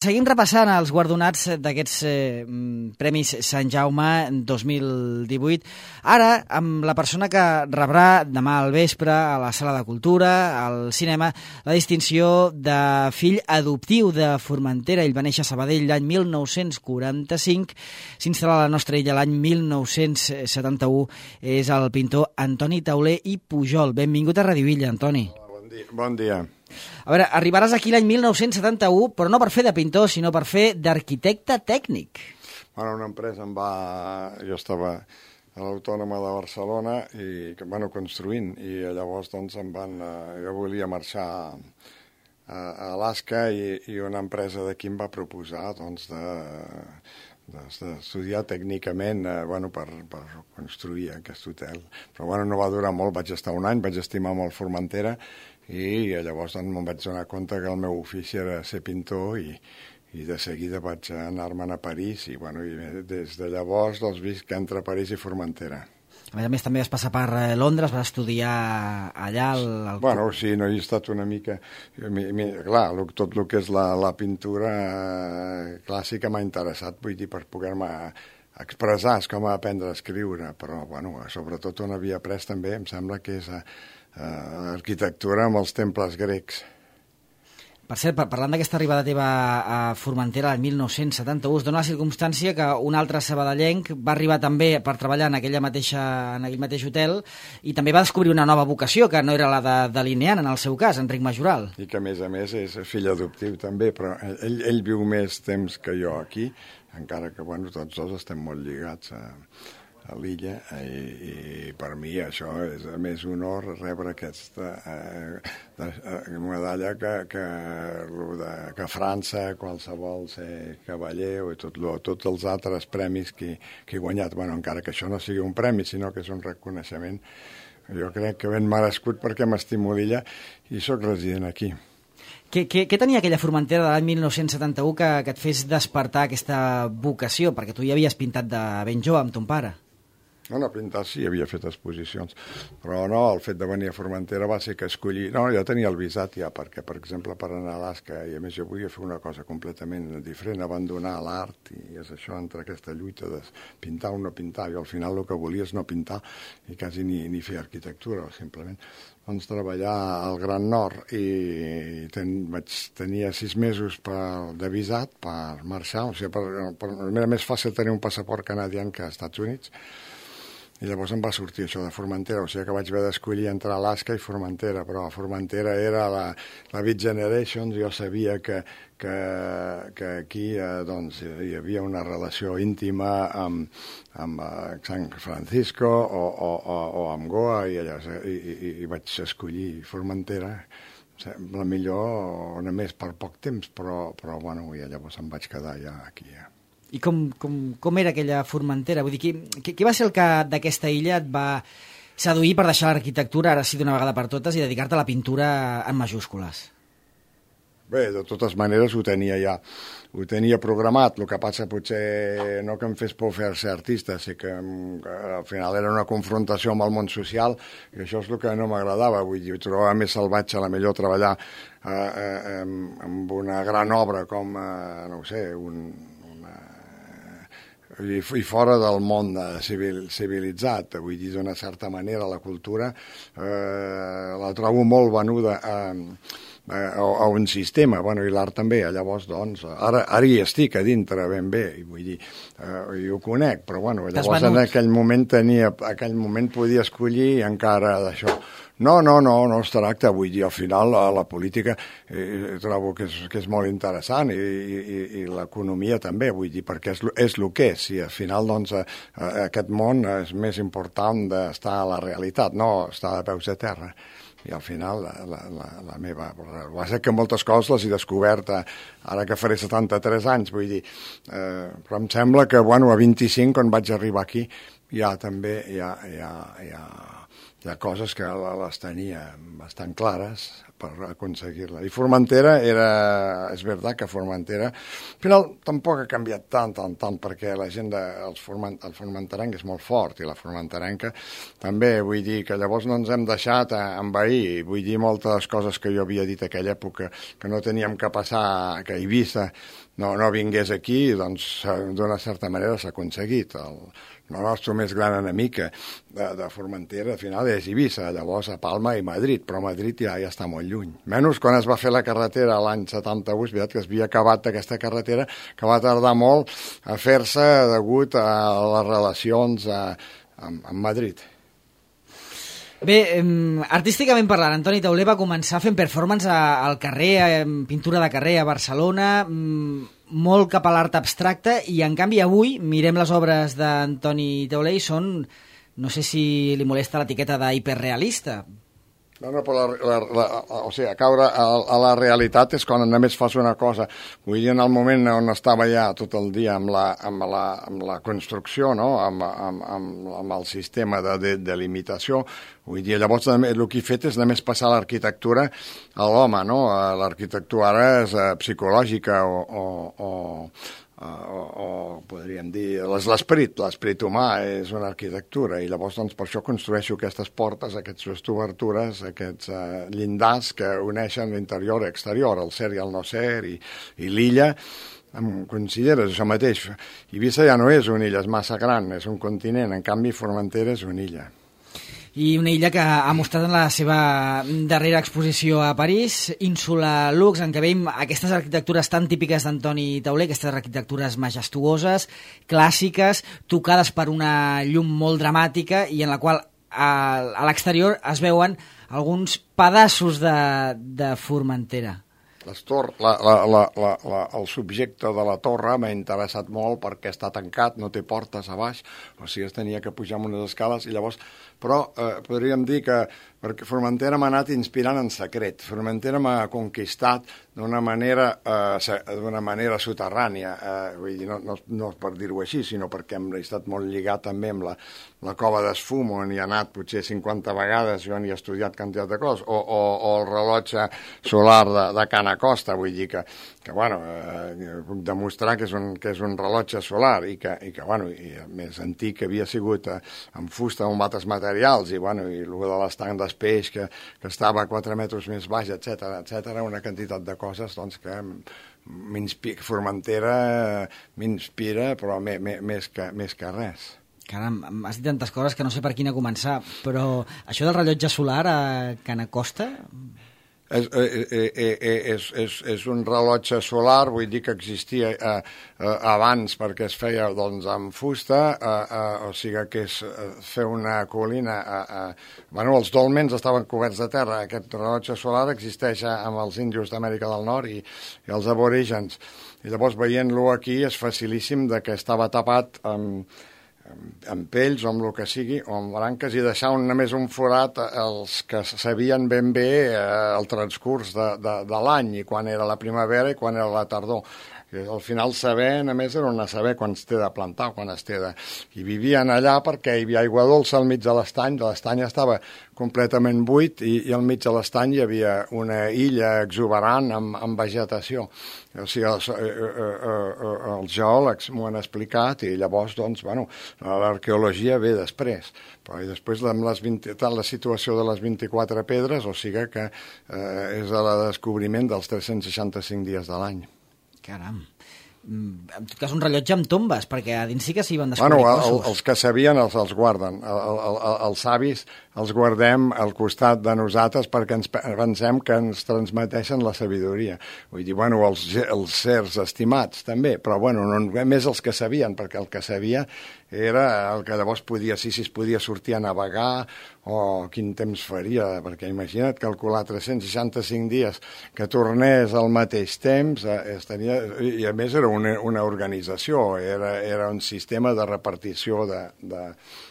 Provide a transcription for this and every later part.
Seguim repassant els guardonats d'aquests Premis Sant Jaume 2018. Ara, amb la persona que rebrà demà al vespre a la Sala de Cultura, al cinema, la distinció de fill adoptiu de Formentera. Ell va néixer a Sabadell l'any 1945, s'instal·la a la nostra illa l'any 1971. És el pintor Antoni Tauler i Pujol. Benvingut a Radio Illa, Antoni. Bon dia. A veure, arribaràs aquí l'any 1971, però no per fer de pintor, sinó per fer d'arquitecte tècnic. Bueno, una empresa Jo estava a l'Autònoma de Barcelona i, construint, i llavors doncs jo volia marxar a Alaska i una empresa d'aquí em va proposar d'estudiar tècnicament per construir aquest hotel. Però no va durar molt, vaig estar un any, vaig estimar molt Formentera i llavors me'n vaig donar compte que el meu ofici era ser pintor i de seguida vaig anar-me'n a París i des de llavors visc entre París i Formentera. A més, també vas passar per Londres, vas estudiar allà... Sí, no he estat una mica... Clar, tot el que és la pintura clàssica m'ha interessat, vull dir, per poder-me expressar, és com aprendre a escriure, però, sobretot on havia après també, em sembla que és arquitectura amb els temples grecs. Per cert, parlant d'aquesta arribada teva a Formentera l'any 1971, es dona la circumstància que un altre sabadellenc va arribar també per treballar en aquell mateix hotel i també va descobrir una nova vocació, que no era la de delineant, en el seu cas, Enric Majoral. I que, a més, és fill adoptiu també, però ell viu més temps que jo aquí, encara que, tots dos estem molt lligats a l'illa i per mi això és a més honor rebre aquesta medalla que França, qualsevol ser cavaller o tots els altres premis que he guanyat, encara que això no sigui un premi sinó que és un reconeixement, jo crec que ben merescut perquè m'estimo l'illa i sóc resident aquí. Què tenia aquella Formentera de l'any 1971 que et fes despertar aquesta vocació? Perquè tu ja havies pintat de ben jove amb ton pare. No, pintar sí, havia fet exposicions, però no, el fet de venir a Formentera va ser que escollir... No, jo tenia el visat ja, perquè, per exemple, per anar a Alaska, i a més jo volia fer una cosa completament diferent, abandonar l'art, i és això, entre aquesta lluita de pintar o no pintar, i al final el que volia és no pintar, i quasi ni fer arquitectura, simplement. Treballar al Gran Nord, i tenia 6 mesos de visat per marxar, o sigui, era més fàcil tenir un passaport canadià que als Estats Units, i llavors em va sortir això de Formentera, o sigui que vaig haver d'escollir entre Alaska i Formentera, però Formentera era la Beat Generation, jo sabia que aquí hi havia una relació íntima amb San Francisco o amb Goa i vaig escollir Formentera, la millor només per poc temps, però i llavors em vaig quedar ja aquí. I com era aquella Formentera? Vull dir, qui va ser el que d'aquesta illa et va seduir per deixar l'arquitectura, ara sí d'una vegada per totes, i dedicar-te a la pintura en majúscules? Bé, de totes maneres ho tenia programat, el que passa potser no que em fes por fer-se artista, sí que al final era una confrontació amb el món social, i això és el que no m'agradava, vull dir, ho trobava més salvatge a la millor treballar amb una gran obra com, no ho sé, i fora del món civilitzat, vull dir, d'una certa manera la cultura la trobo molt venuda a un sistema, i l'art també, llavors ara hi estic a dintre ben bé, vull dir, i ho conec, però llavors en aquell moment podia escollir encara d'això. No es tracta, vull dir, al final la política trobo que és molt interessant i l'economia també, vull dir, perquè és el que és, i al final aquest món és més important d'estar a la realitat, no estar de peus a terra. I al final la meva... Va ser que moltes coses les he descobert ara que faré 73 anys, vull dir, però em sembla que a 25, quan vaig arribar aquí, ja també hi ha coses que les tenia bastant clares per aconseguir-la. I Formentera és veritat que Formentera, al final tampoc ha canviat tant, perquè la gent, el formenterenc és molt fort, i la formenterenca també, vull dir que llavors no ens hem deixat envair, vull dir moltes coses que jo havia dit a aquella època, que no teníem que passar, que Eivissa no vingués aquí, doncs d'una certa manera s'ha aconseguit. El nostre més gran enemic de Formentera, al final, és Eivissa, llavors a Palma i Madrid, però Madrid ja està molt lluny. Menys quan es va fer la carretera l'any 71, és veritat que es havia acabat aquesta carretera, que va tardar molt a fer-se degut a les relacions amb Madrid. Bé, artísticament parlant, Antoni Tauler va començar fent performance al carrer, pintura de carrer a Barcelona, molt cap a l'art abstracte, i en canvi avui mirem les obres d'Antoni Tauler i són, no sé si li molesta l'etiqueta d'hiperrealista. No, però o sigui, caure a la realitat és quan només fas una cosa. Vull dir, en el moment on estava ja tot el dia amb la construcció, no? amb el sistema de delimitació, vull dir, llavors el que he fet és només passar l'arquitectura a l'home, no? L'arquitectura ara és psicològica o podríem dir, l'esperit humà és una arquitectura, i llavors doncs, per això construeixo aquestes portes, aquestes obertures, aquests llindars que uneixen l'interior i l'exterior, el ser i el no ser, i l'illa. Em consideres això mateix? Eivissa ja no és una illa, és massa gran, és un continent, en canvi Formentera és una illa. I una illa que ha mostrat en la seva darrera exposició a París, Ínsula Lux, en què veiem aquestes arquitectures tan típiques d'Antoni Tauler, aquestes arquitectures majestuoses, clàssiques, tocades per una llum molt dramàtica, i en la qual a l'exterior es veuen alguns pedaços de Formentera. El subjecte de la torre m'ha interessat molt perquè està tancat, no té portes a baix, o sigui, es tenia que pujar amb unes escales, i llavors, però podríem dir que perquè Formentera m'ha anat inspirant en secret. Formentera m'ha conquistat d'una manera soterrània, vull dir, no per dir-ho així, sinó perquè hem estat molt lligat també amb la cova d'Esfum, on hi ha anat potser 50 vegades, jo n'hi he estudiat quantitat de coses, o el rellotge solar de Can Acosta, vull dir que bueno, puc demostrar que és un rellotge solar, i que bueno, i més antic, que havia sigut amb fusta o amb altres materials, i bueno, i el de l'estanc d'Espeix, que estava a 4 metres més baix, etc., una quantitat de coses doncs, que Formentera m'inspira, però més que res. Caram, has dit tantes coses que no sé per quina començar, però això del rellotge solar a Can Acosta... És un rellotge solar, vull dir que existia abans perquè es feia doncs, amb fusta, o sigui que és fer una colina... Bueno, els dòlmens estaven coberts de terra. Aquest rellotge solar existeix amb els índios d'Amèrica del Nord i els aborígens. I llavors, veient-lo aquí, és facilíssim de que estava tapat amb pells o amb el que sigui, o amb branques, i deixar només un forat els que sabien ben bé el transcurs de l'any, i quan era la primavera i quan era la tardor. I al final saber, només era una saber quan es té de plantar, quan es té de... I vivien allà perquè hi havia aigua dolça al mig de l'estany estava completament buit, i al mig de l'estany hi havia una illa exuberant amb vegetació. O sigui, els geòlegs m'ho han explicat, i llavors, doncs, bueno, l'arqueologia ve després. Però i després la situació de les 24 pedres, o sigui que és el descobriment dels 365 dies de l'any. Caram. En tot cas, un rellotge amb tombes, perquè a dins sí que s'hi van descobrir cossos. Els que sabien els guarden. Els savis els guardem al costat de nosaltres perquè ens pensem que ens transmeteixen la sabidoria. Vull dir, bueno, els sers estimats també, però bueno, no més els que sabien, perquè el que sabia era el que llavors podia, si es podia sortir a navegar, o quin temps faria, perquè imagina't calcular 365 dies que tornés al mateix temps, i a més era una organització, era un sistema de repartició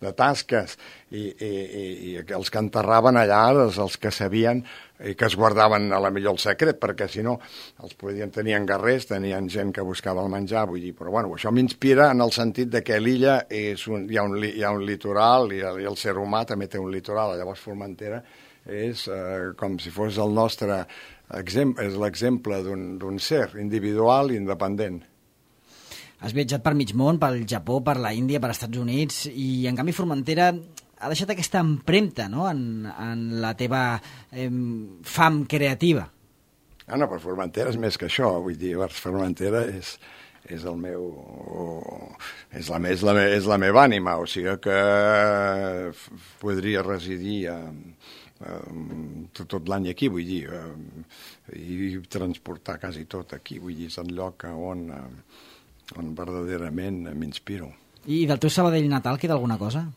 de tasques, i els que enterraven allà, els que sabien i que es guardaven a la millor el secret, perquè si no els tenien guerrers, tenien gent que buscava el menjar, vull dir, però bueno, això m'inspira en el sentit de que l'illa hi ha un litoral i el ser humà també té un litoral. Llavors Formentera és com si fos el nostre exemple, és l'exemple d'un ser individual i independent. Has viatjat per mig món, pel Japó, per la Índia, per Estats Units, i en canvi Formentera ha deixat aquesta empremta, no?, en la teva fam creativa. No, però Formentera és més que això, vull dir, Formentera és el meu... és la meva ànima, o sigui que podria residir tot l'any aquí, vull dir, i transportar quasi tot aquí, vull dir, és el lloc on verdaderament m'inspiro. I del teu Sabadell natal queda alguna cosa?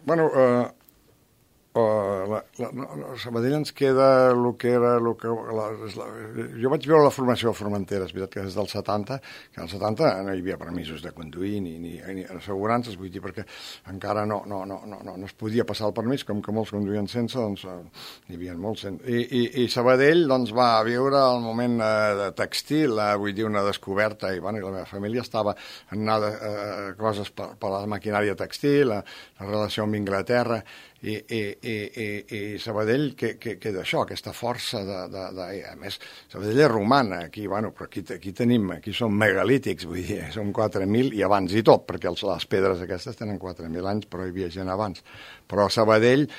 Bueno, a Sabadell ens queda el que era... jo vaig veure la formació de Formentera, és veritat que és del 70, que al 70 no hi havia permisos de conduir ni assegurances, vull dir, perquè encara no es podia passar el permís, com que molts conduïen sense, doncs hi havia molts sense. I Sabadell doncs, va viure el moment de tèxtil, vull dir, una descoberta, i la meva família estava en anar coses per la maquinària tèxtil, la relació amb Inglaterra, i Sabadell queda això, aquesta força a més, Sabadell és romana, aquí, bueno, però aquí som megalítics, vull dir, som 4.000 i abans i tot, perquè les pedres aquestes tenen 4.000 anys, però hi havia gent abans. Però Sabadellum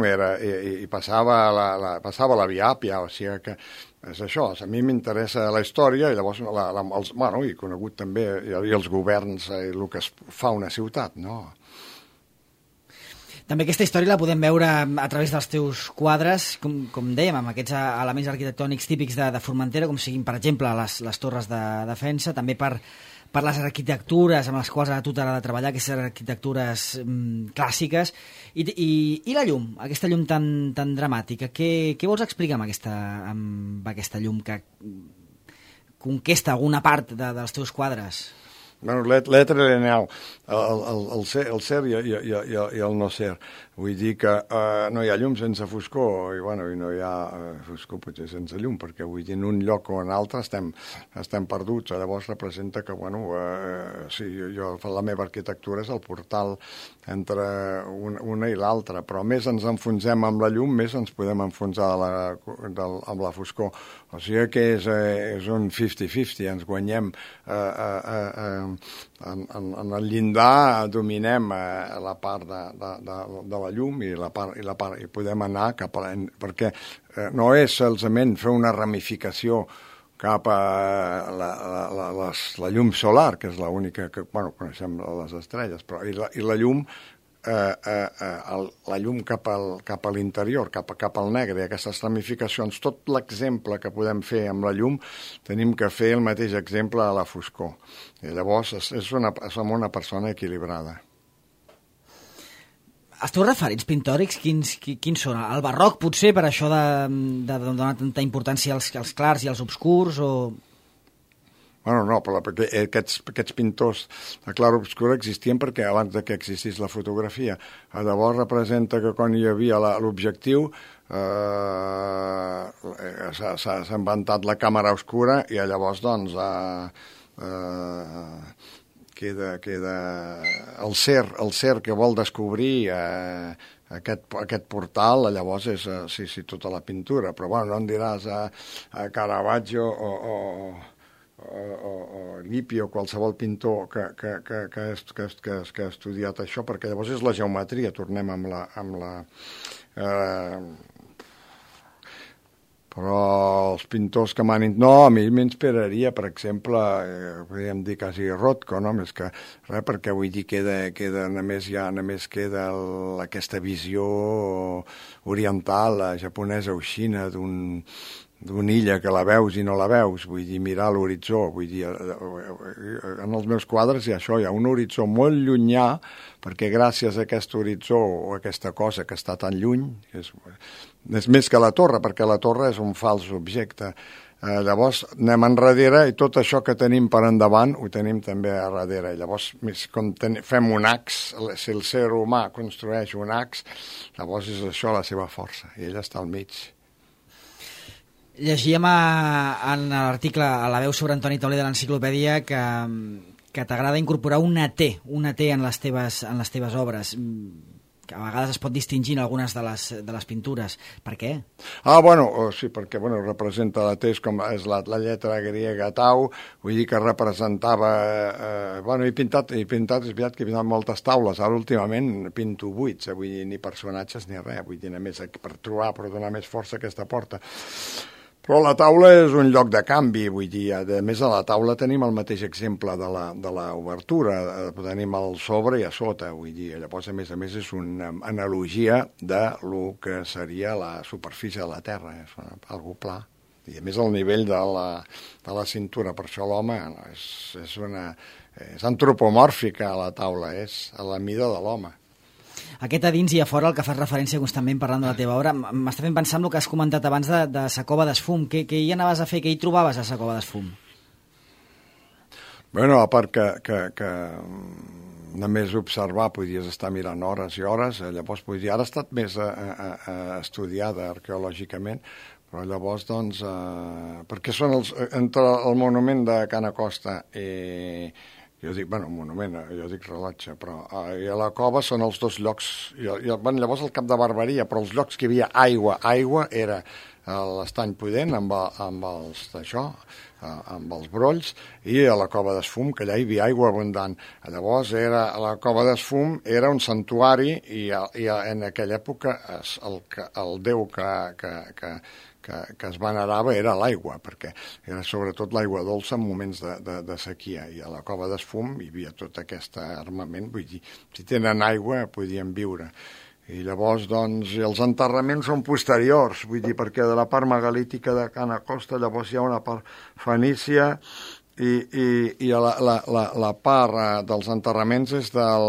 i passava la Via Àpia, o sigui que és això, a mi m'interessa la història i llavors, he conegut també i els governs, el que es fa una ciutat, no? També aquesta història la podem veure a través dels teus quadres, com dèiem, amb aquests elements arquitectònics típics de Formentera, com siguin, per exemple, les torres de defensa, també per les arquitectures amb les quals ara tu t'agrada treballar, aquestes arquitectures clàssiques, i la llum, aquesta llum tan dramàtica. Què vols explicar amb aquesta llum que conquesta alguna part dels teus quadres? Bueno, l'èter lineal, el ser i el no ser. Vull dir que no hi ha llum sense foscor, i no hi ha foscor potser sense llum, perquè vull dir, en un lloc o en altre estem perduts. Llavors representa que, la meva arquitectura és el portal entre una i l'altra, però més ens enfonsem amb la llum, més ens podem enfonsar amb la foscor. O sigui que és un 50-50, ens guanyem en el llindar, dominem la part de la llum i podem anar cap a perquè no és solament fer una ramificació cap a la llum solar, que és l'única que, coneixem les estrelles, però i la llum cap a l'interior, cap al negre, i aquestes ramificacions, tot l'exemple que podem fer amb la llum, tenim que fer el mateix exemple a la foscor. I llavors som una persona equilibrada. Els teus referents pintòrics, quins són? El barroc, potser, per això de donar tanta importància als clars i als obscurs, o... Bueno, no, perquè aquests pintors de clar-obscura existien perquè abans que existís la fotografia. Llavors representa que quan hi havia l'objectiu s'ha inventat la càmera obscura i llavors doncs queda el ser que vol descobrir aquest portal, llavors és tota la pintura, però bueno, no em diràs a Caravaggio o Lippi o qualsevol pintor que ha estudiat això, perquè llavors és la geometria, tornem amb la però els pintors que no, a mi m'inspiraria, per exemple, podríem dir quasi Rothko, no? Més que res, perquè vull dir, només queda aquesta visió oriental, japonesa o xina, d'una illa que la veus i no la veus, vull dir, mirar l'horitzó, vull dir, en els meus quadres hi ha un horitzó molt llunyà, perquè gràcies a aquest horitzó o a aquesta cosa que està tan lluny, És més que la torre, perquè la torre és un fals objecte. Llavors anem enrere i tot això que tenim per endavant ho tenim també a darrere. I llavors, com fem un ax, si el ser humà construeix un ax, llavors és això la seva força, i ella està al mig. Llegíem en l'article a la veu sobre Antoni Tauler de l'enciclopèdia que t'agrada incorporar una T en les teves obres, que a vegades es pot distingir en algunes de les pintures. Per què? Sí, perquè representa la T, és la lletra griega tau, vull dir que representava... He pintat, és veritat que he pintat moltes taules, ara últimament pinto buits, vull dir, ni personatges ni res, vull dir, només per donar més força a aquesta porta. Però la taula és un lloc de canvi, vull dir, a més a la taula tenim el mateix exemple de l'obertura, tenim el sobre i a sota, vull dir, llavors a més és una analogia de lo que seria la superfície de la Terra, és algo pla, i a més el nivell de la cintura, per això l'home és antropomòrfica la taula, és a la mida de l'home. Aquest a dins i a fora, el que fas referència constantment parlant de la teva obra, m'està fent pensar en el que has comentat abans de sa cova d'esfum. Què hi anaves a fer? Què hi trobaves a sa cova d'esfum? A part que només observar podies estar mirant hores i hores, llavors ara ha estat més estudiada arqueològicament, però llavors, perquè són entre el monument de Can Acosta i jo dic, monument, jo dic rellotge, però i a la cova són els dos llocs, llavors al cap de Barberia, però els llocs que hi havia aigua era l'Estany Pudent amb els brolls, i a la cova d'esfum, que allà hi havia aigua abundant. Llavors la cova d'esfum era un santuari i en aquella època el déu que es venerava era l'aigua, perquè era sobretot l'aigua dolça en moments de sequia, i a la cova d'esfum hi havia tot aquest armament, vull dir, si tenen aigua podien viure. I llavors, els enterraments són posteriors, vull dir, perquè de la part megalítica de Can Acosta llavors hi ha una part fenícia i la part dels enterraments és del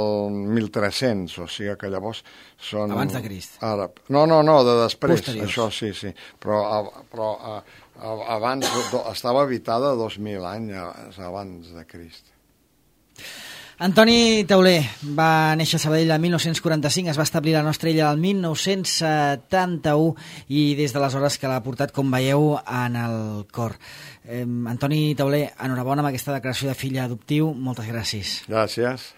1300, o sigui que llavors són... Abans de Crist. No, de després. Posteriors. Això sí. Però abans estava habitada 2.000 anys abans de Crist. Antoni Tauler va néixer a Sabadell el 1945, es va establir a la nostra illa el 1971 i des d'aleshores que l'ha portat, com veieu, en el cor. Antoni Tauler, enhorabona amb aquesta declaració de fill adoptiu. Moltes gràcies. Gràcies.